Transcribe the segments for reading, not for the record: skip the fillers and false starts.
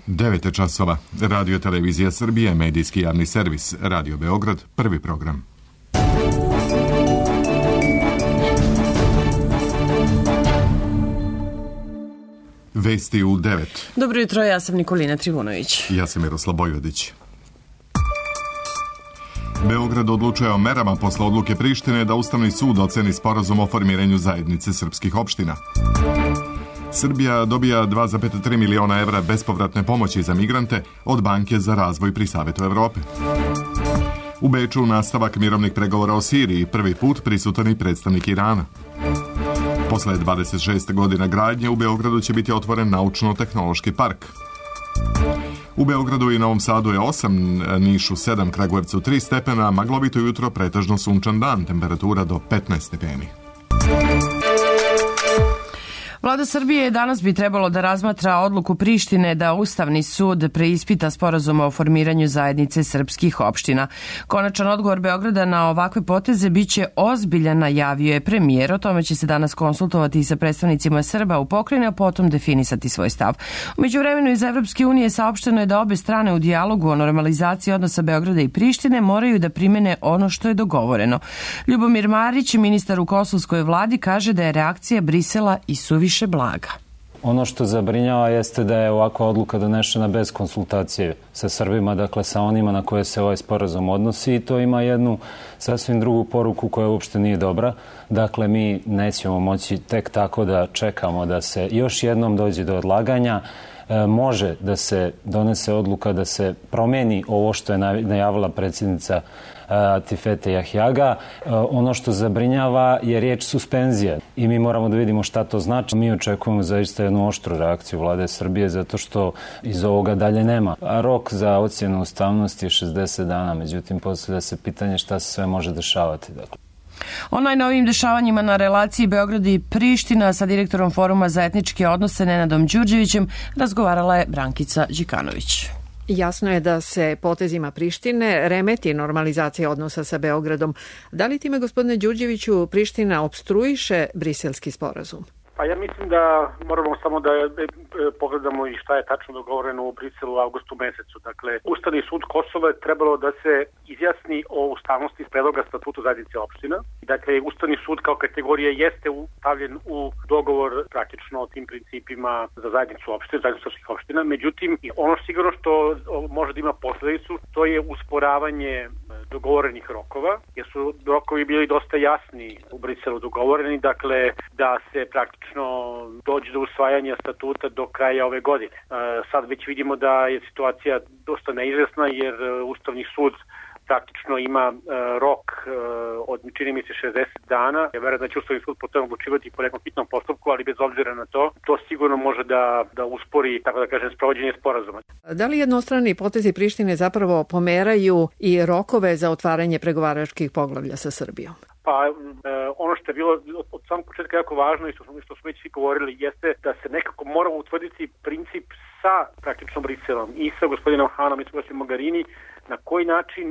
9 časova. Radio Televizija Srbije, medijski javni servis, Radio Beograd, prvi program. Vesti u 9. Dobro jutro, ja sam Nikolina Trivunović. Ja sam Miroslav Bojvodić. Beograd odlučuje o merama posle odluke Prištine da Ustavni sud oceni sporazum o formiranju zajednice srpskih opština. Srbija dobija 2,3 miliona evra bespovratne pomoći za migrante od Banke za razvoj pri Savetu Evrope. U Beču nastavak mirovnih pregovora o Siriji, prvi put prisutan i predstavnik Irana. Posle 26 godina gradnje u Beogradu će biti otvoren naučno-tehnološki park. U Beogradu i Novom Sadu je 8, Nišu 7, Kragujevcu 3 stepena, maglovito jutro, pretežno sunčan dan, temperatura do 15 stepeni. Vlada Srbije danas bi trebalo da razmatra odluku Prištine da Ustavni sud preispita sporazum o formiranju zajednice srpskih opština. Konačan odgovor Beograda na ovakve poteze biće ozbiljan, najavio je premijer. O tome će se danas konsultovati i sa predstavnicima Srba u pokrajini, a potom definisati svoj stav. U međuvremenu iz Evropske unije saopšteno je da obe strane u dijalogu o normalizaciji odnosa Beograda i Prištine moraju da primene ono što je dogovoreno. Ljubomir Marić, ministar u kosovskoj vladi, kaže da je reakcija Brisela i suviše blaga. Ono što zabrinjava jeste da je ovakva odluka donešena bez konsultacije sa Srbima, dakle sa onima na koje se ovaj sporazum odnosi, i to ima jednu sasvim drugu poruku koja uopšte nije dobra. Dakle, mi nećemo moći tek tako da čekamo da se još jednom dođe do odlaganja. Može da se donese odluka da se promeni ovo što je najavila predsjednica Atifete Jahjaga. Ono što zabrinjava je riječ suspenzija i mi moramo da vidimo šta to znači. Mi očekujemo zaista jednu oštru reakciju vlade Srbije zato što iz ovoga dalje nema. A rok za ocjenu ustavnosti je 60 dana, međutim postavlja se pitanje šta se sve može dešavati. Dakle. O najnovijim dešavanjima na relaciji Beograd i Priština sa direktorom Foruma za etničke odnose Nenadom Đurđevićem razgovarala je Brankica Đikanović. Jasno je da se potezima Prištine remeti normalizacija odnosa sa Beogradom. Da li time, gospodine Đurđeviću, Priština opstruiše briselski sporazum? Pa ja mislim da moramo samo da pogledamo i šta je tačno dogovoreno u Briselu u avgustu mesecu. Dakle, Ustavni sud Kosova je trebalo da se izjasni o ustavnosti predloga statuta zajednice opština. Dakle, Ustavni sud kao kategorija jeste stavljen u dogovor praktično o tim principima za zajednicu opština, zajednicu srpskih opština. Međutim, ono sigurno što može da ima posledicu, to je usporavanje dogovorenih rokova, jer su rokovi bili dosta jasni u Briselu dogovoreni, dakle da se praktično dođe do usvajanja statuta do kraja ove godine. Sad već vidimo da je situacija dosta neizvesna jer Ustavni sud praktično ima rok od, čini mi se, 60 dana. Ja verujem da će Ustavni sud potom odlučivati po nekom hitnom postupku, ali bez obzira na to sigurno može da uspori, tako da kažem, sprovođenje sporazuma. Da li jednostrani potezi Prištine zapravo pomeraju i rokove za otvaranje pregovaračkih poglavlja sa Srbijom? Pa ono što je bilo od samog početka jako važno i što smo već svi govorili jeste da se nekako mora utvrditi princip sa praktično Briselom i sa gospodinom Hanom i sa gospodinom Mogherini, na koji način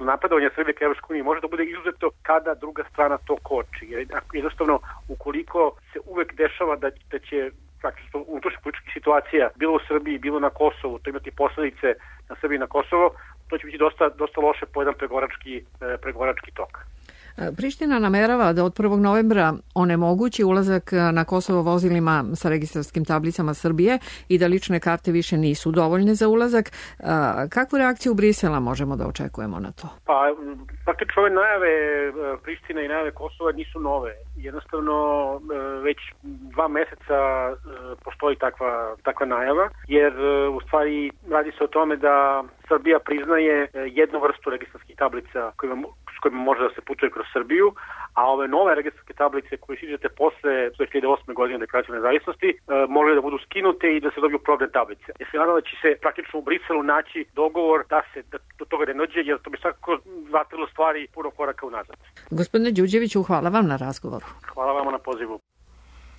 napredovanje Srbije ka Evropskoj uniji može da bude izuzeto kada druga strana to koči. Jednostavno, ukoliko se uvek dešava da će praktično unutrašnja politička situacija bilo u Srbiji, bilo na Kosovu, to imati posledice na Srbiji i na Kosovo, to će biti dosta loše po jedan pregovarački tok. Priština namerava da od 1. novembra onemogući ulazak na Kosovo vozilima sa registarskim tablicama Srbije i da lične karte više nisu dovoljne za ulazak. Kakvu reakciju Brisela možemo da očekujemo na to? Pa, praktično ove najave Prištine i najave Kosova nisu nove. Jednostavno, već 2 meseca postoji takva najava, jer u stvari radi se o tome da Srbija priznaje jednu vrstu registarskih tablica s kojima može da se putuje kroz Srbiju, a ove nove registarske tablice koje siđete posle 2008. godine deklaracije nezavisnosti može da budu skinute i da se dobiju probne tablice. Ja se nadam da će se praktično u Briselu naći dogovor da do toga ne dođe, jer to bi svakako vratilo stvari puno koraka unazad. Gospodine Đurđeviću, hvala vam na razgovoru. Hvala vama na pozivu.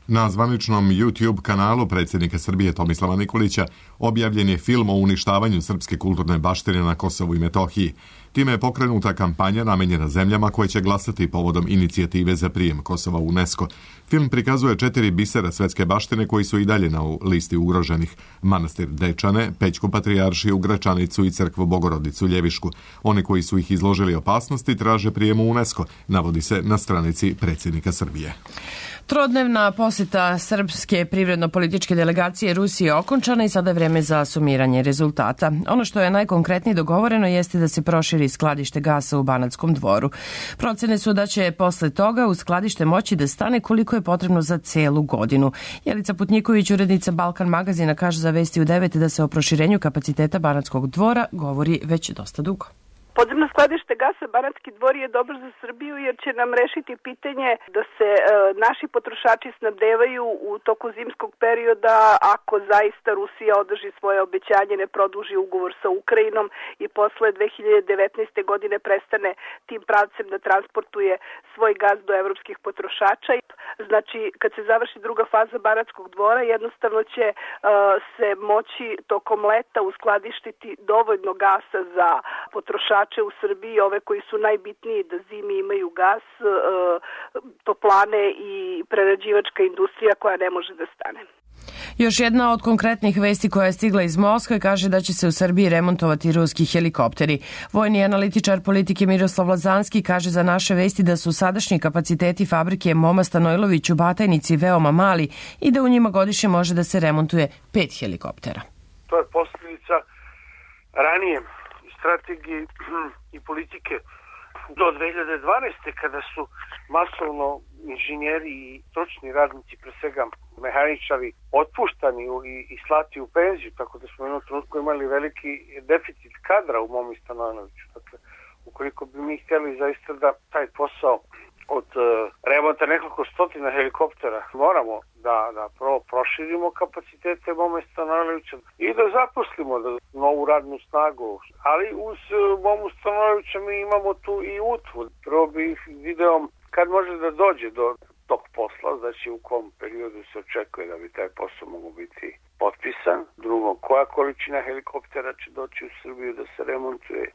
Na zvaničnom YouTube kanalu predsjednika Srbije Tomislava Nikolića objavljen je film o uništavanju srpske kulturne baštine na Kosovu i Metohiji. Time je pokrenuta kampanja namenjena zemljama koje će glasati povodom inicijative za prijem Kosova u UNESCO. Film prikazuje 4 bisera svetske baštine koji su i dalje na listi ugroženih: manastir Dečane, Pećku patrijaršiju, Gračanicu i crkvu Bogorodicu Ljevišku. Oni koji su ih izložili opasnosti traže prijem u UNESCO, navodi se na stranici predsjednika Srbije. Trodnevna posjeta srpske privredno-političke delegacije Rusije je okončana i sada je vreme za sumiranje rezultata. Ono što je najkonkretnije dogovoreno jeste da se proširi skladište gasa u Banatskom Dvoru. Procene su da će posle toga u skladište moći da stane koliko je potrebno za celu godinu. Jelica Putnjiković, urednica Balkan magazina, kaže za Vesti u 9 da se o proširenju kapaciteta Banatskog Dvora govori već dosta dugo. Podzemno skladište gasa Banatski Dvor je dobro za Srbiju jer će nam rešiti pitanje da se naši potrošači snabdevaju u toku zimskog perioda ako zaista Rusija održi svoje obećanje, ne produži ugovor sa Ukrajinom i posle 2019. godine prestane tim pravcem da transportuje svoj gas do evropskih potrošača. Znači, kad se završi druga faza Banatskog Dvora, jednostavno će se moći tokom leta uskladištiti dovoljno gasa za potrošače u Srbiji, ove koji su najbitniji da zimi imaju gas, toplane i prerađivačka industrija koja ne može da stane. Još jedna od konkretnih vesti koja je stigla iz Moskve kaže da će se u Srbiji remontovati ruski helikopteri. Vojni analitičar politike Miroslav Lazanski kaže za naše vesti da su sadašnji kapaciteti fabrike Moma Stanojlović u Batajnici veoma mali i da u njima godišnje može da se remontuje 5 helikoptera. To je posljedica ranije strategije i politike do 2012. kada su masovno inženjeri i stručni radnici, pre svega mehaničari, otpuštani i slati u penziju, tako da smo u jednom trenutku imali veliki deficit kadra u Momi Stanojloviću. Dakle, ukoliko bi mi htjeli zaista da taj posao od remonta nekoliko stotina helikoptera moramo da prvo proširimo kapacitete Mome Stanojlovića i da zaposlimo novu radnu snagu. Ali uz Momu Stanojlovića mi imamo tu i UTVU. Prvo bih video kad može da dođe do tog posla, znači u kom periodu se očekuje da bi taj posao mogao biti potpisan. Drugo, koja količina helikoptera će doći u Srbiju da se remontuje,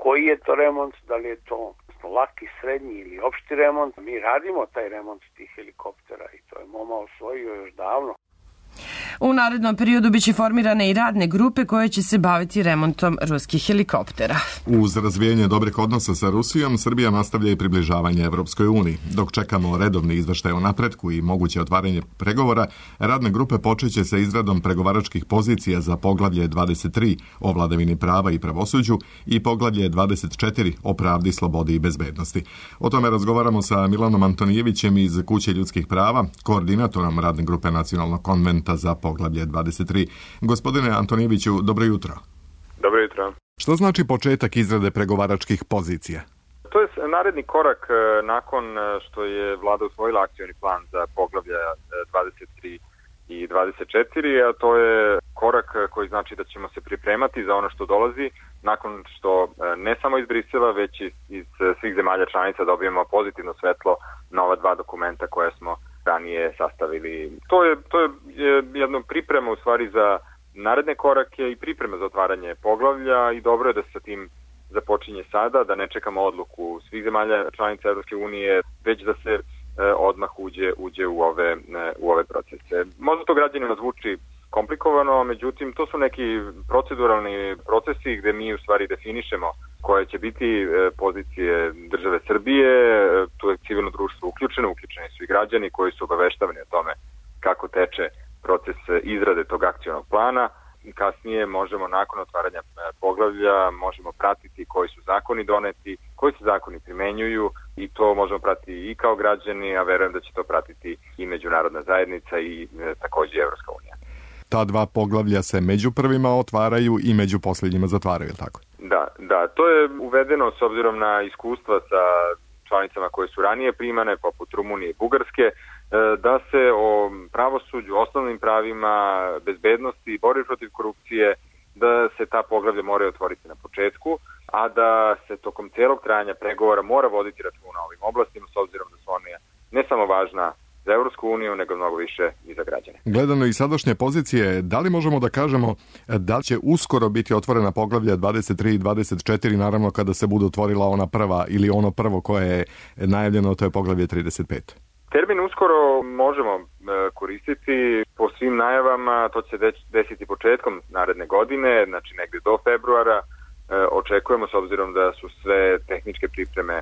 koji je to remont, da li je to laki, srednji ili opšti remont. Mi radimo taj remont tih helikoptera i to je Moma osvojio još davno. U narednom periodu biće formirane i radne grupe koje će se baviti remontom ruskih helikoptera. Uz razvijanje dobrih odnosa sa Rusijom, Srbija nastavlja i približavanje Evropskoj uniji. Dok čekamo redovni izveštaj o napretku i moguće otvaranje pregovora, radne grupe počeće sa izradom pregovaračkih pozicija za poglavlje 23 o vladavini prava i pravosuđu i poglavlje 24 o pravdi, slobodi i bezbednosti. O tome razgovaramo sa Milanom Antonijevićem iz Kuće ljudskih prava, koordinatorom radne grupe Nacionalnog konventa za poglavlje 23. Gospodine Antonijeviću, dobro jutro. Dobro jutro. Što znači početak izrade pregovaračkih pozicija? To je naredni korak nakon što je vlada usvojila akcioni plan za poglavlja 23 i 24, a to je korak koji znači da ćemo se pripremati za ono što dolazi nakon što ne samo iz Brisela, već iz svih zemalja članica dobijemo pozitivno svetlo na ova dva dokumenta koje smo ranije sastavili. To je jedna priprema u stvari za naredne korake i priprema za otvaranje poglavlja i dobro je da se sa tim započinje sada, da ne čekamo odluku svih zemalja članica Evropske unije, već da se odmah uđe u ove procese. Možda to građanima zvuči komplikovano, međutim to su neki proceduralni procesi gde mi u stvari definišemo koje će biti pozicije države Srbije, tu je civilno društvo uključeni su i građani koji su obaveštavani o tome kako teče proces izrade tog akcionog plana. Kasnije možemo nakon otvaranja poglavlja možemo pratiti koji su zakoni doneti, koji se zakoni primenjuju i to možemo pratiti i kao građani, a verujem da će to pratiti i međunarodna zajednica i takođe Evropska unija. Ta dva poglavlja se među prvima otvaraju i među posljednjima zatvaraju, tako? Da, to je uvedeno s obzirom na iskustva sa članicama koje su ranije primane, poput Rumunije i Bugarske, da se o pravosuđu, osnovnim pravima, bezbednosti, borbi protiv korupcije, da se ta poglavlja moraju otvoriti na početku, a da se tokom celog trajanja pregovora mora voditi računa o ovim oblastima, s obzirom da su one ne samo važna za Evropsku uniju, nego mnogo više i za građane. Gledano iz sadašnje pozicije, da li možemo da kažemo da će uskoro biti otvorena poglavlja 23 i 24, naravno kada se bude otvorila ona prva ili ono prvo koje je najavljeno, to je poglavlje 35? Termin uskoro možemo koristiti po svim najavama, to će se desiti početkom naredne godine, znači negde do februara. Očekujemo, s obzirom da su sve tehničke pripreme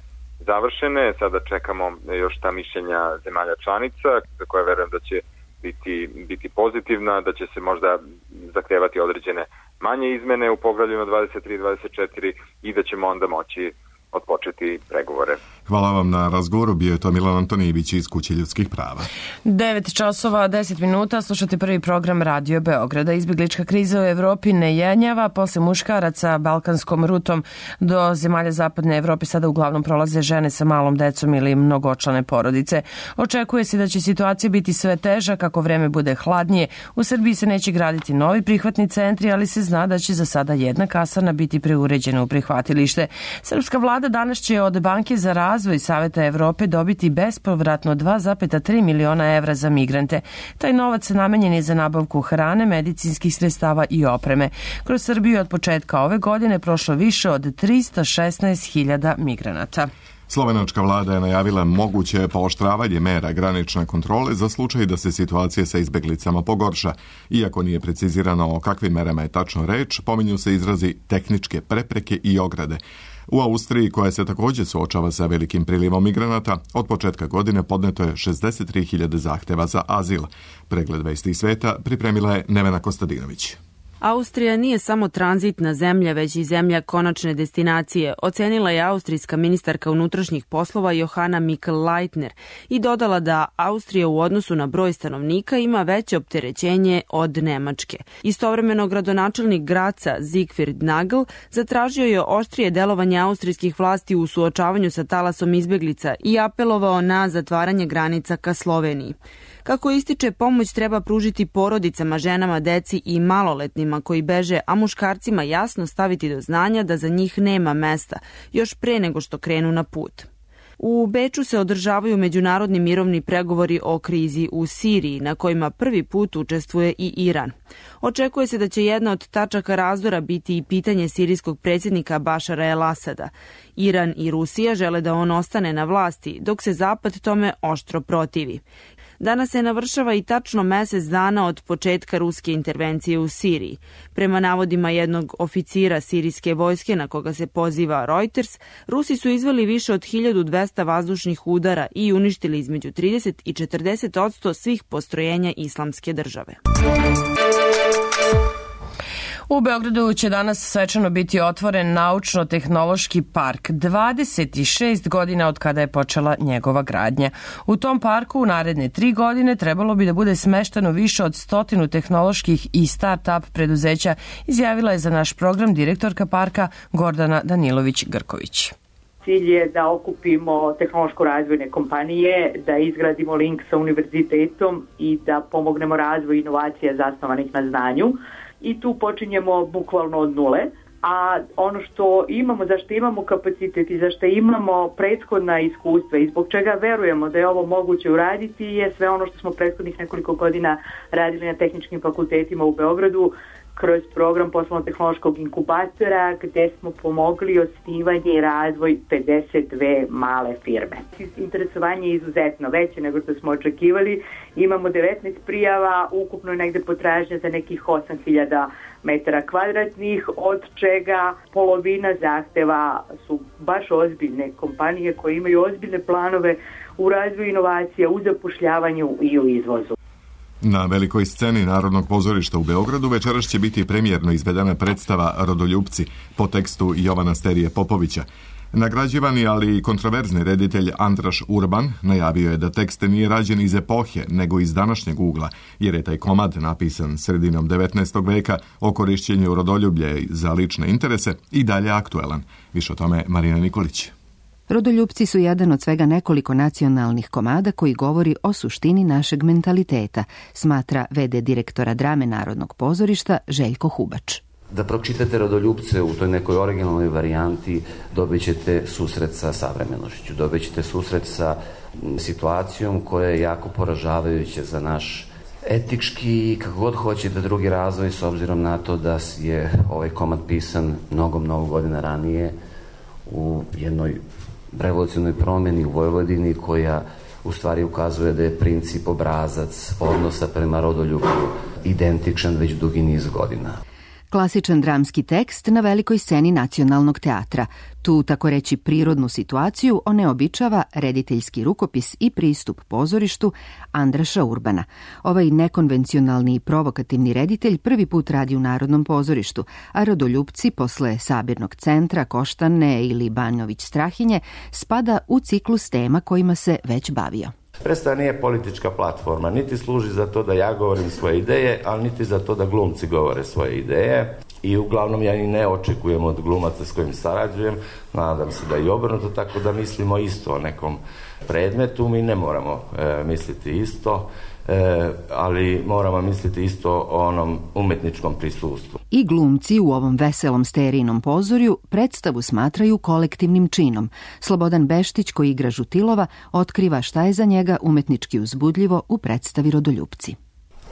završene, sada čekamo još ta mišljenja zemalja članica, za koje verujem da će biti pozitivna, da će se možda zahtevati određene manje izmene u poglavljima 23 i 24 i da ćemo onda moći odpočeti pregovore. Hvala vam na razgovoru, bio je to Milan Antonijević iz Kuće ljudskih prava. 9 časova, 10 minuta, slušate prvi program Radio Beograda. Izbjeglička kriza u Evropi ne jenjava, posle muškaraca balkanskom rutom do zemalja zapadne Evrope sada uglavnom prolaze žene sa malom decom ili mnogočlane porodice. Očekuje se da će situacija biti sve teža kako vreme bude hladnije. U Srbiji se neće graditi novi prihvatni centri, ali se zna da će za sada jedna kasarna biti preuređena u prihvatilište. Srpska vlada danas će od Banke za razvoj Saveta Evrope dobiti bespovratno 2,3 miliona evra za migrante. Taj novac namenjen je za nabavku hrane, medicinskih sredstava i opreme. Kroz Srbiju od početka ove godine prošlo više od 316.000 migranata. Slovenačka vlada je najavila moguće pooštravanje mera granične kontrole za slučaj da se situacija sa izbeglicama pogorša. Iako nije precizirano o kakvim merama je tačno reč, pominju se izrazi tehničke prepreke i ograde. U Austriji, koja se također suočava sa velikim prilivom migranata, od početka godine podneto je 63.000 zahteva za azil. Pregled vesti sveta pripremila je Nevena Kostadinović. Austrija nije samo tranzitna zemlja, već i zemlja konačne destinacije, ocenila je austrijska ministarka unutrašnjih poslova Johanna Mikl-Leitner i dodala da Austrija u odnosu na broj stanovnika ima veće opterećenje od Nemačke. Istovremeno gradonačelnik Graca Siegfried Nagel zatražio je oštrije delovanje austrijskih vlasti u suočavanju sa talasom izbeglica i apelovao na zatvaranje granica ka Sloveniji. Kako ističe, pomoć treba pružiti porodicama, ženama, deci i maloletnima koji beže, a muškarcima jasno staviti do znanja da za njih nema mesta, još pre nego što krenu na put. U Beču se održavaju međunarodni mirovni pregovori o krizi u Siriji, na kojima prvi put učestvuje i Iran. Očekuje se da će jedna od tačaka razdora biti i pitanje sirijskog predsjednika Bašara el-Asada. Iran i Rusija žele da on ostane na vlasti, dok se Zapad tome oštro protivi. Danas se navršava i tačno mesec dana od početka ruske intervencije u Siriji. Prema navodima jednog oficira sirijske vojske na koga se poziva Reuters, Rusi su izveli više od 1200 vazdušnih udara i uništili između 30 i 40% svih postrojenja Islamske države. U Beogradu će danas svečano biti otvoren naučno-tehnološki park. 26 godina od kada je počela njegova gradnja. U tom parku u naredne 3 godine trebalo bi da bude smešteno više od 100 tehnoloških i start-up preduzeća, izjavila je za naš program direktorka parka Gordana Danilović-Grković. Cilj je da okupimo tehnološko-razvojne kompanije, da izgradimo link sa univerzitetom i da pomognemo razvoju inovacija zasnovanih na znanju. I tu počinjemo bukvalno od nule, a ono što imamo, zašto imamo kapacitet i zašto imamo prethodna iskustva i zbog čega verujemo da je ovo moguće uraditi je sve ono što smo prethodnih nekoliko godina radili na tehničkim fakultetima u Beogradu kroz program poslovno-tehnološkog inkubatora gde smo pomogli osnivanje i razvoj 52 male firme. Interesovanje je izuzetno veće nego što smo očekivali. Imamo 19 prijava, ukupno je negde potražnja za nekih 8.000 metara kvadratnih, od čega polovina zahteva su baš ozbiljne kompanije koje imaju ozbiljne planove u razvoju inovacija, u zapošljavanju i u izvozu. Na velikoj sceni Narodnog pozorišta u Beogradu večeras će biti premijerno izvedena predstava Rodoljupci po tekstu Jovana Sterije Popovića. Nagrađivani, ali i kontroverzni reditelj Andraš Urban najavio je da tekst nije rađen iz epohe, nego iz današnjeg ugla, jer je taj komad napisan sredinom 19. veka o korišćenju rodoljublja za lične interese i dalje aktuelan. Više o tome Marina Nikolić. Rodoljupci su jedan od svega nekoliko nacionalnih komada koji govori o suštini našeg mentaliteta, smatra v.d. direktora drame Narodnog pozorišta Željko Hubač. da pročitate Rodoljupce u toj nekoj originalnoj varijanti, dobit ćete susret sa savremenošću, dobit ćete susret sa situacijom koja je jako poražavajuća za naš etički, kako god hoćete, drugi razvoj, s obzirom na to da je ovaj komad pisan mnogo godina ranije u jednoj revolucionarnoj promjeni u Vojvodini koja u stvari ukazuje da je princip, obrazac odnosa prema Rodoljublju identičan već dugi niz godina. Klasičan dramski tekst na velikoj sceni Nacionalnog teatra. Tu, tako reći, prirodnu situaciju oneobičava rediteljski rukopis i pristup pozorištu Andraša Urbana. Ovaj nekonvencionalni i provokativni reditelj prvi put radi u Narodnom pozorištu, a Rodoljupci posle Sabirnog centra, Koštane ili Banović Strahinje spada u ciklus tema kojima se već bavio. Predstava nije politička platforma, niti služi za to da ja govorim svoje ideje, ali niti za to da glumci govore svoje ideje. I uglavnom ja i ne očekujem od glumaca s kojim sarađujem, nadam se da i obrnuto, tako da mislimo isto o nekom predmetu. Mi ne moramo misliti isto, ali moramo misliti isto o onom umetničkom prisustvu. I glumci u ovom veselom sterijinom pozorju predstavu smatraju kolektivnim činom. Slobodan Beštić, koji igra Žutilova, otkriva šta je za njega umetnički uzbudljivo u predstavi Rodoljupci.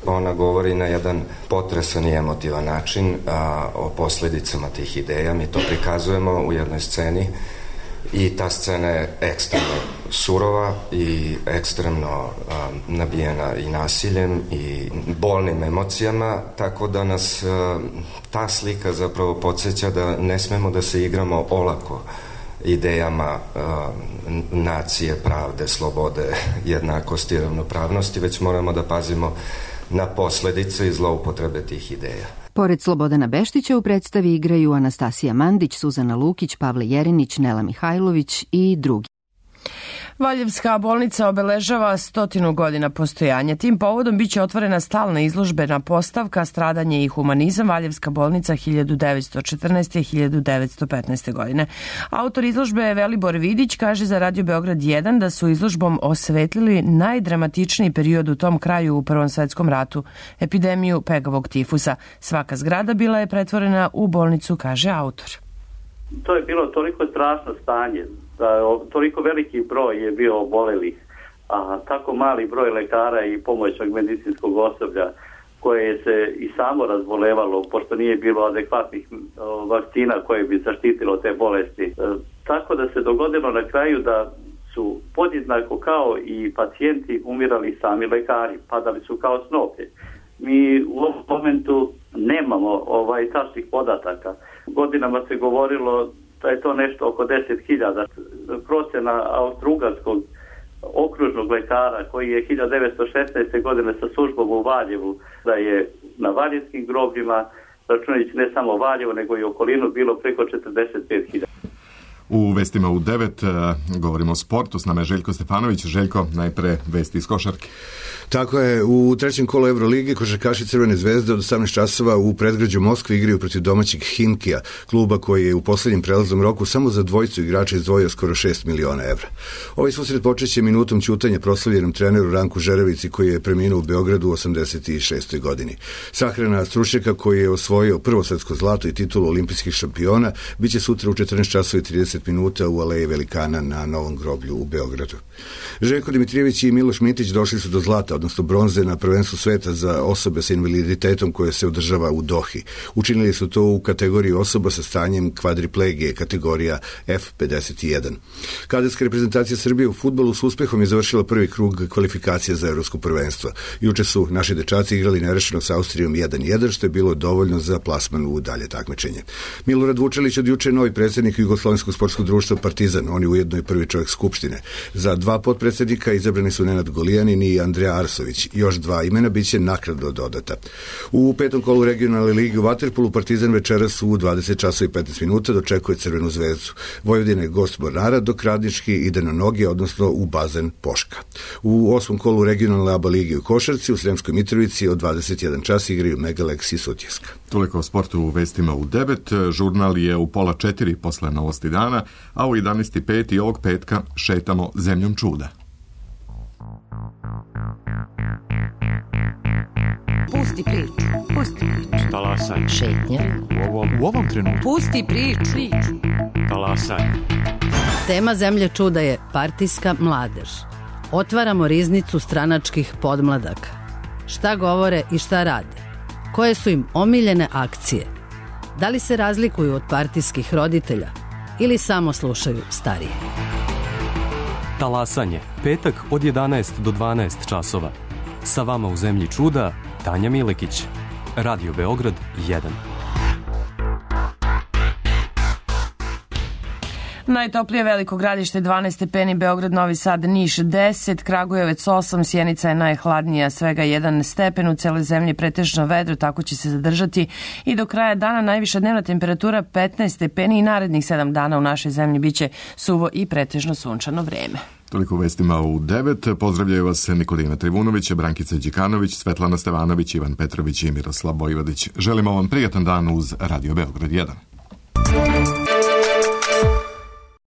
Ona govori na jedan potresan i emotivan način o posljedicama tih ideja. Mi to prikazujemo u jednoj sceni i ta scena je ekstremno surova i ekstremno nabijena i nasiljem i bolnim emocijama, tako da nas ta slika zapravo podsjeća da ne smemo da se igramo olako idejama nacije, pravde, slobode, jednakosti i ravnopravnosti, već moramo da pazimo na posljedice i zloupotrebe tih ideja. Pored Slobodana Beštića u predstavi igraju Anastasija Mandić, Suzana Lukić, Pavle Jerinić, Nela Mihajlović i drugi. Valjevska bolnica obeležava 100 godina postojanja. Tim povodom biće otvorena stalna izložbena postavka Stradanje i humanizam, Valjevska bolnica 1914-1915. godine. Autor izložbe Velibor Vidić kaže za Radio Beograd 1 da su izložbom osvetlili najdramatičniji period u tom kraju u Prvom svetskom ratu, epidemiju pegavog tifusa. Svaka zgrada bila je pretvorena u bolnicu, kaže autor. To je bilo toliko strašno stanje, da toliko veliki broj je bio obolelih, a tako mali broj lekara i pomoćnog medicinskog osoblja koje se i samo razbolevalo, pošto nije bilo adekvatnih vakcina koje bi zaštitilo te bolesti. Tako da se dogodilo na kraju da su podjednako kao i pacijenti umirali sami lekari, padali su kao snoplje. Mi u ovom momentu nemamo tačnih podataka. Godinama se govorilo da je to nešto oko 10.000. Procena austrougarskog okružnog lekara koji je 1916. godine sa službom u Valjevu, da je na valjevskim grobljima, računajući ne samo Valjevo nego i okolinu, bilo preko 45.000. U vestima u 9 govorimo o sportu, s nama je Željko Stefanović. Željko, najpre vesti iz košarke. Tako je, u trećem kolu Euroligi košarkaši Crvene zvezde od 18 časova u predgrađu Moskve igraju protiv domaćeg Hinkija, kluba koji je u posljednjem prelaznom roku samo za dvojicu igrača izdvojio skoro 6 miliona evra. Ovaj susret počeće minutom ćutanja proslavljenom treneru Ranku Žerevici koji je preminuo u Beogradu u 86. godini. Sahrana stručnjaka koji je osvojio prvo svetsko zlato i titulu olimpijskih šampiona biće sutra u 14 časova i 30 minuta u Aleji Velikana na Novom groblju u Beogradu. Željko Dimitrijević i Miloš Mitić došli su do zlata, odnosno bronze na prvenstvu sveta za osobe sa invaliditetom koje se održava u Dohi. Učinili su to u kategoriji osoba sa stanjem kvadriplegije, kategorija F51. Kadetska reprezentacija Srbije u fudbalu s uspehom je završila prvi krug kvalifikacije za evropsko prvenstvo. Juče su naši dečaci igrali nerešeno sa Austrijom 1-1, što je bilo dovoljno za plasman u dalje takmičenje. Milorad Vučelić od juče novi predsjednik Jugoslovenskog sportskog društva Partizan, on je ujedno i prvi čovjek Skupštine. Za 2 potpredsjednika izabrani su Nenad Golijanin i Andreja Arsović. Još 2 imena biće naknadno dodata. U 5. kolu regionalne lige u vaterpolu Partizan večeras u 20 časova i 15 minuta dočekuje Crvenu zvezdu. Vojvodina je gost Mornara, dok Radnički ide na noge, odnosno u bazen Poška. U 8. kolu regionalne ABA lige u košarci u Sremskoj Mitrovici od 21 čas igraju Megalex i Sutjeska. Toliko o sportu u vestima u 9. Žurnal je u 3:30 posle novosti dana, a u 11:05 i ovog petka šetamo zemljom čuda. Pusti priču. Pusti priču. Talasaj. Šetnja. U ovom trenutku. Pusti priču. Talasaj. Tema Zemlje čuda je partijska mladež. Otvaramo riznicu stranačkih podmladaka. Šta govore i šta rade? Koje su im omiljene akcije? Da li se razlikuju od partijskih roditelja ili samo slušaju starije? Talasanje, petak od 11 do 12 časova. Sa vama u Zemlji čuda, Tanja Milekić. Radio Beograd 1. Najtoplije Veliko Gradište 12 stepeni, Beograd, Novi Sad, Niš 10, Kragujevac 8, Sjenica je najhladnija, svega 1 stepen, u celoj zemlji pretežno vedro, tako će se zadržati i do kraja dana. Najviša dnevna temperatura 15 stepeni i narednih 7 dana u našoj zemlji biće suvo i pretežno sunčano vreme. Toliko u vestima u 9. Pozdravljaju vas Nikolina Trivunović, Brankica Đikanović, Svetlana Stevanović, Ivan Petrović i Miroslav Vojvodić. Želimo vam prijatan dan uz Radio Beograd 1.